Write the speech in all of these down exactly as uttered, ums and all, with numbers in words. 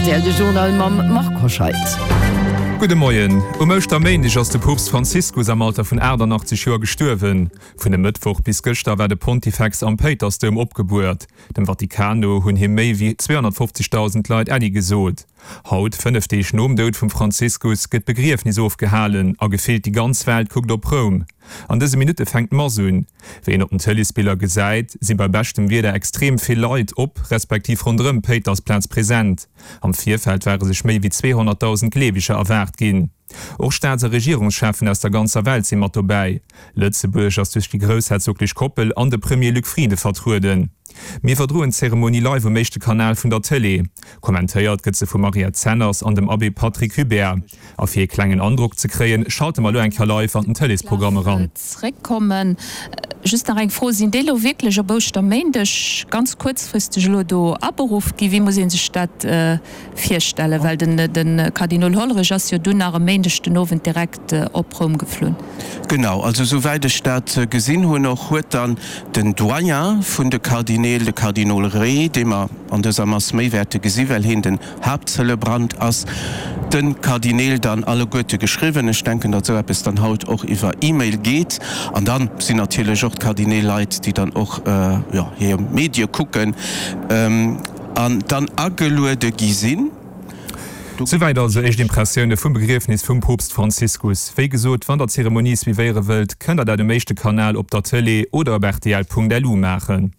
Rtl, de Journal mam Marc Hoscheid. Gudde Moien. Um Ouschterméindeg ass de Poopst Franziskus am Alter vun aachtannachtzeg Joer gestuerwen. Vun e Mëttwoch bis gëschter war de Pontifex am Péitersdoum opgebuert. Dem Vatikan no hunn him méi wéi zweehonnertfofzegdausend Leit Äddi gesot. Haut, fënnef Deeg nom Doud vum Franziskus, gëtt d'Begriefnis ofgehalen a gefillt déi ganz Welt kuckt op Roum. An dëse Minutte fänkt d'Mass un. Wéi een op den Tëleesbiller gesäit, si bei beschtem Wieder extrem vill Leit op, respektiv ronderëm d'Péitersplaz present. Am Virfeld ware sech méi wéi zweehonnertdausend Gleeweger erwaart ginn. Och Staats a Regierungscheffen aus der ganzer Welt si mat dobäi. Lëtzebuerg ass duerch déi groussherzoglech Koppel an de Premier Luc Frieden vertrueden. Mir iwwerdroen d'Zeremonie live um éischte Kanal vun der Tëlee. Kommentéiert gëtt se vum Mariette Zenners an dem Abbé Patrick Hubert. A fir ee klengen Androck ze kréien, schalte mer elo eng Kéier live an den Tëleesprogramm eran. Zréckkommen. Just nach eng Fro, Sinn déi elo wierklech op Ouschterméindeg ganz kuerzfristeg elo do aberuff ginn? Wéi muss ee sech dat virstellen? Well de Kardinol Hollerich ass jo dunn nach e Méindeg den Owend direkt op Roum geflunn. Genau, also souwäit ech dat gesinn hunn och, huet dann den Doyen vun de Kardineel, de Kardinol Re, dee mer an dëser Mass méi wäerte gesi well hien den Haaptzelebrant ass, de Kardineel dann alleguerte geschriwwen. Ech denken, datt esou eppes dann haut och iwwer E-Mail geet. An da sinn natierlech och d'Kardineel Leit, déi dann och, jo, hir Medie kucken an dann ageluede gi sinn. Souwäit also éischt Impressioune vum Begriefnis vum Poopst Franziskus. Wéi gesot, wann der d'Zeremonie suivéiere wëllt, kënnt der dat um éischte Kanal op der Tëlee oder op rtl.lu maachen.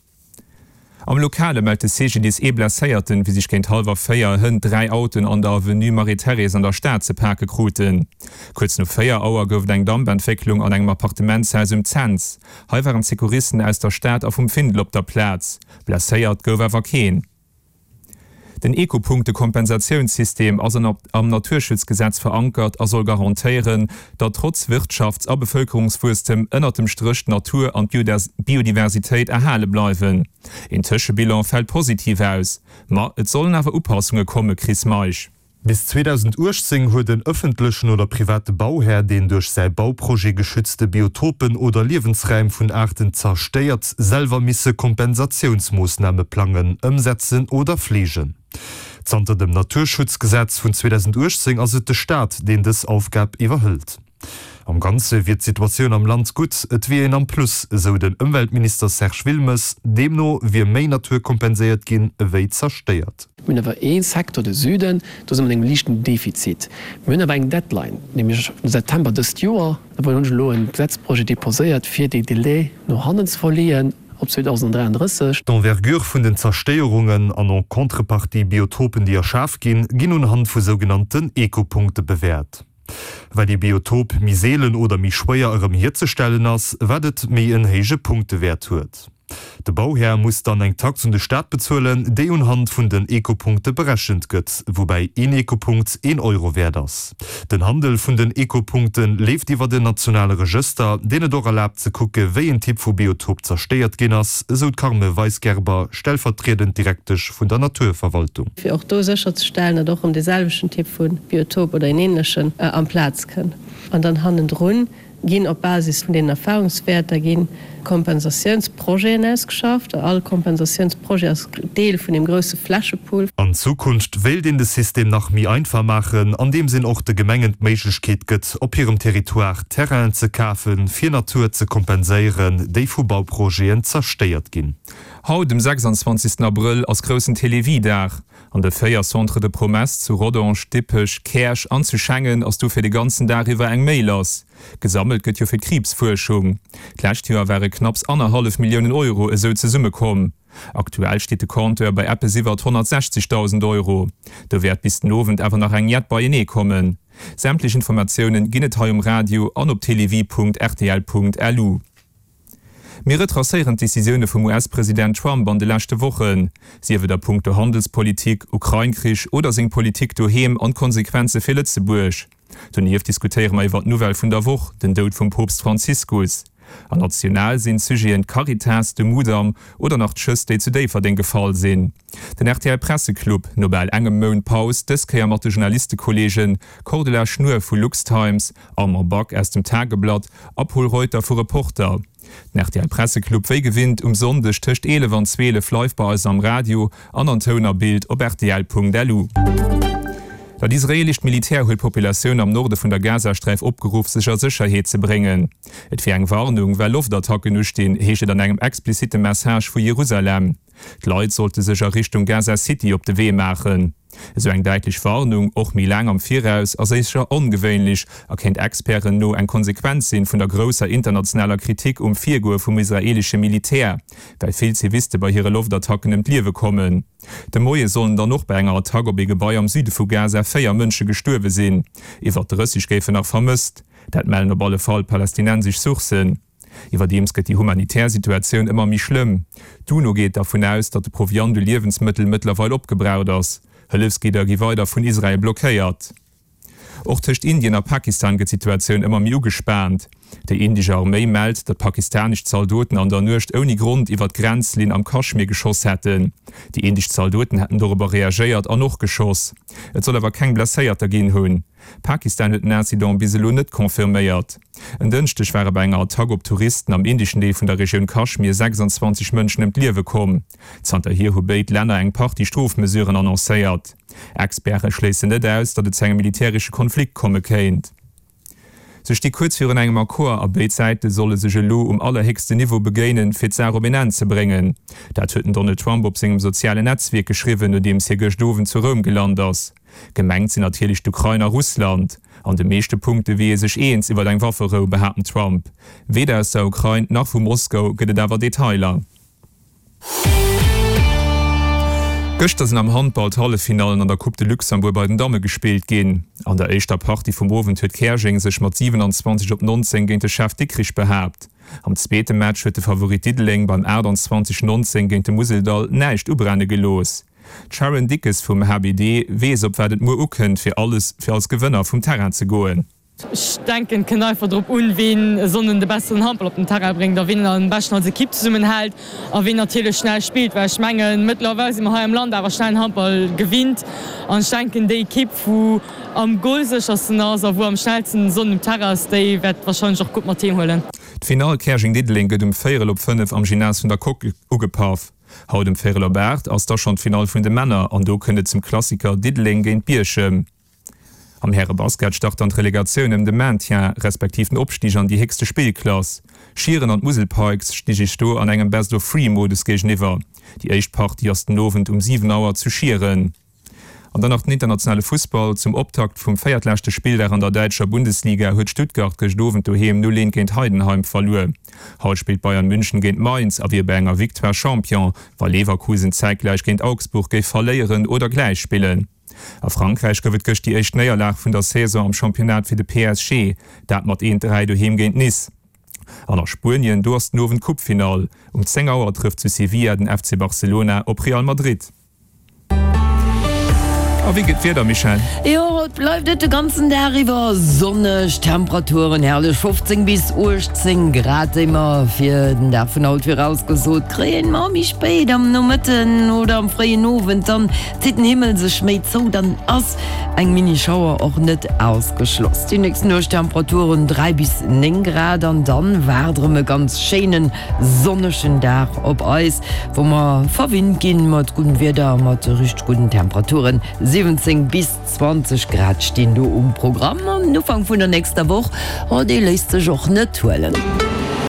Am Lokale mellt de C G D I S ee Blesséierten, wéi sech géint hallwer véier hënt dräi Autoen an der Avenue Marie-Thérèse an der Stad ze pake kruten. Kuerz no véier Auer gouf et eng Dampentwécklung an engem Appartementshaus um Cents. Hei waren d'Secouristen aus der Stad a vum Findel op der Plaz. Blesséiert gouf awer keen. Den Ecopunkte-Kompensatiounssystem ass am Naturschutzgesetz verankert a soll garantéieren, datt trotz Wirtschafts a Bevëlkerungswuesstem ënnert dem Stréch d'Natur an d'Biodiversitéit erhale bleiwen. Een Tëschebilan fält positiv aus, ma et sollen awer Upassunge komme, Chris Meisch. Bis zweedausendachtzéng huet en ëffentlechen oder private Bauhär, deen duerch säi Bauprojet geschützte Biotopen oder Liewensräim vun Aarten zerstéiert, selwer misse Kompensatiounsmoossname plangen, ëmsetzen oder fleegen. Zanter dem Naturschutzgesetz vun zweedausendachtzéng ass et de Staat, deen dës Aufgab iwwerhëlt. Am Ganze wier d'Situatioun am Land gutt, et wier een am Plus, esou den Ëmweltminister Serge Wilmes. Deemno wier méi Natur kompenséiert ginn, ewéi zerstéiert. Mir hunn awer ee Secteur, de Süden, do si mer an engem liichten Defizit. Mir hunn awer eng Deadline, nämlech de September dëst Joer. Do hunn ech elo e Gesetzprojet deposéiert, fir déi Délai no hannen ze verleeën op zweedausenddräianddrësseg. D'Envergure vun den Zerstéierungen an en contrepartie Biotopen, déi erschaf ginn, ginn unhand vu sougenannten Ecopunkte bewäert. Wat ee Biotop méi seelen oder méi schwéier erëm hierzestellen ass, wat et méi en héije Punktewäert huet. De Bauhär muss dann eng Tax un de Staat bezuelen, déi unhand vun den Ecopunkte berechent gëtt, woubäi een Ecopunkt een Euro wäert ass. Den Handel vun den Ecopunkte leeft iwwert en nationale Regëster, deen et och erlaabt ze kucke wéi en Typ vu Biotop zerstéiert ginn ass, esou d'Carme Weisgerber, stellvertriedend Direktesch vun der Naturverwaltung. Fir och do sécherzestellen, datt och erëm dee selwechten Typ vu Biotop oder een änlechen amplaz kënn. An dann hannendrun ginn op Basis vun deenen Erfahrungswäerter gi Kompensatiounsprojeten ausgeschafft. All Kompensatiounsprojet ass Deel vun deem grousse Flächepool. An Zukunft wéilt een de System nach méi einfach maachen, andeems een och de Gemengen d'Méiglechkeet gëtt, op hirem Territoire Terrainen ze kafen, fir Natur ze kompenséieren, déi vu Bauprojeten zerstéiert ginn. Haut, dem sechsanzwanzigsten Abrëll, ass groussen Télévie-Dag. An de véier Centres de promesses zu Rodange, Dippech, Käerch an zu Schengen ass dofir de ganzen Dag iwwer eng Méi lass. Gesammelt gëtt jo fir d'Kriibsfuerschung. D'lescht Joer ware knapps annerhallef Milliounen Euro esou zesummekomm. Aktuell steet de Compteur bei eppes iwwert honnertsechzigdausend Euro. Do wäert bis den Owend awer nach eng jett beienee kommen. Sämtlech Informatiounen ginn et hei um Radio an op télévie Punkt R T L Punkt L U. Mir retracéieren d'Decisioune vum U S-President Trump an de leschte Wochen, sief et a punkto Handelspolitik, Ukrain-Krich oder seng Politik doheem an d'Konsequenze fir Lëtzebuerg. Donieft diskutéiere mer iwwer d'Nouvelle vun der Woch, den Doud vum Poopst Franziskus. An national sinn d'Sujeten d'Caritas, de Mudam oder nach d'Schëss, déi zu Déifferdeng gefall sinn. Den R T L Presseclub, no bal engem Mount Paus, dës Kéier mat de Journalistekolleegen Cordula Schnuer vu LuxTimes, Armand Back aus dem Tageblatt a Pol Reuter vu Reporter. Den R T L Presseclub wéi gewinnt um Sonndeg tëscht eelef an zwielef live bei eis am Radio an an Toun a Bild op rtl Punkt lu. Dat israeelescht Militär huet d'Populatioun am Norde vun der Gazasträif opgeruff, sech a Sécherheet ze bréngen. Et wier eng Warnung, well Loftattacken ustinn, heescht et an engem explizitte Message vu Jerusalem. D'Leit sollte sech a Richtung Gaza City op de Wee maachen. Esou eng däitlech Warnung, och méi laang am Viraus, ass éischer ongewéinlech a kéint Experten no eng Konsequenz sinn vun der grousser internationaler Kritik um Virgoe vum israeelesche Militär, well vill Ziviste bei hire Loftattacken ëm d'Liewe kommen. De Moie sollen dann och bei enger Attack op ee Gebai am Süde vu Gaza véier Mënsche gestuerwe sinn. Iwwer drësseg géifen nach vermësst. Dat mellen op alle Fall palästinensesch Sourcen. Iwwerdeems gëtt déi humanitär Situatioun ëmmer méi schlëmm. D'UNO geet dervun aus, datt de Proviant u Liewensmëttel mëttlerweil opgebraucht ass. Hëllefsgidder gi weider vun Israel blockéiert. Och tëscht Indien a Pakistan gëtt d'Situatioun ëmmer méi ugespaant. Déi indesch Arméi mellt, datt pakistanesch Zaldoten an der Nuecht ouni Grond iwwer d'Grenzlinn am Kaschmir geschoss hätten. Déi indesch Zaldoten hätten dorobber reagéiert an och geschoss. Et soll awer keng Blesséierter ginn hunn. Pakistan huet den Incident bis elo net confirméiert. En Dënschdeg ware bei enger Attack op Touristen am indeschen Deel vun der Regioun Kaschmir sechsundzwanzeg Mënschen ëm d'Liewe komm. Zanterhier hu béid Länner eng Partie Strofmesuren annoncéiert. Experte schléissen net aus, datt et zu engem militäresche Konflikt komme kéint. Se sti kuerz virun engem Accord a béid Säite solle sech elo um allerhéchsten Niveau begéinen, fir d'Saach op een Enn ze bréngen. Dat huet den Donald Trump op sengem sozialen Netzwierk geschriwwen, nodeems hie gëscht Owend zu Roum gelant ass. Gemengt sinn natierlech d'Ukrain a Russland. An de meeschte Punkte wier ee sech eens iwwer eng Wafferou, behaapt den Trump. Weder aus der Ukrain nach vu Moskau gëtt et awer Detailer. Gëschter sinn am Handball d'Halleffinallen an der Coupe de Luxembourg bei den Damme gespillt ginn. An der éischter Partie vum Owend huet Käerjeng sech mat siwenanzwanzeg op nonzéng géint de Chef Dikrich behaapt. Am zweete Match huet de Favorit Diddeleng beim aachtanzwanzeg nonzéng géint de Museldall näischt ubrenne gelooss. D'Sharon Dickes vum H B D weess op wat et muer ukënnt fir alles fir als Gewënner vum Terrain ze goen. Ech denken, et kënnt einfach drop un, ween e Sonnden de besseren Handball op den Terrain bréngt a ween am beschten als Ekipp zesummenhält a ween natierlech schnell spillt, well ech mengen, mëttlerweil si mer hei am Land awer schnellen Handball gewinnt an ech denken, déi Ekipp, wou am golséchersten ass a wou am schnellsten e Sonnden um Terrain ass, déi wäert warscheinlech och d'Coupe mat heem huelen. D'Finall Käerjeng-Diddeleng gëtt um véierel op fënnef am Gymnase vun der Coque ugepaff. Haut um véierel op aacht ass da schonn d'Finall vun de Männer an do kënnt et zum Klassiker Diddeleng géint Bierchem. Am Härebasket start dann d'Relegatioun ëm de Maintien, respektiv den Opstig an déi héchste Spillklass. Schieren an d'Musel Pikes sti sech do an engem Best-of-Three-Modus géigeniwwer. Déi éischt Partie ass den Owend um siwen Auer zu Schieren. An dann nach den internationale Fussball, Zum Optakt vum véiertleschte Spilldag an der däitscher Bundesliga huet Stuttgart gëscht Owend doheem null eent géint Heidenheim verluer. Haut spillt Bayern München géint Mainz a wier bei enger Victoire Champion, wa Leverkusen zäitgläich géint Augsburg géif verléieren oder gläich spillen. A Frankräich gouf et gëscht déi éischt Néierlag vun der Saison am Championnat fir de P S G, dat mat eent, dräi doheem géint Nice. An a Spuenien, do ass den Owend d'Coupefinall. Um zéng Auer trëfft zu Sevilla den F C Barcelona op Real Madrid. A wéi gëtt d'Wieder, Michèle? Jo, haut bleift et de ganzen Dag iwwer sonneg, Temperaturen herrlech fofzéng bis uechtzéng Grad, déi mer fir den Dag vun haut virausgesot kréien. Ma méi spéit am Nomëtten oder am fréien Owend, dann zitt den Himmel sech méi zou, dann ass eng Mini-Schauer och net ausgeschloss. Déi nächst Nuecht Temperaturen dräi bis néng Grad an dann waart erëm e ganz schéinen sonnegen Dag op eis, wou mer verwinnt ginn mat guddem Wieder, mat richteg gudden Temperaturen. siwwenzéng bis zwanzeg Grad stinn do um Programm an den Ufank vun der nächster Woch, oh dee léisst sech och net huelen.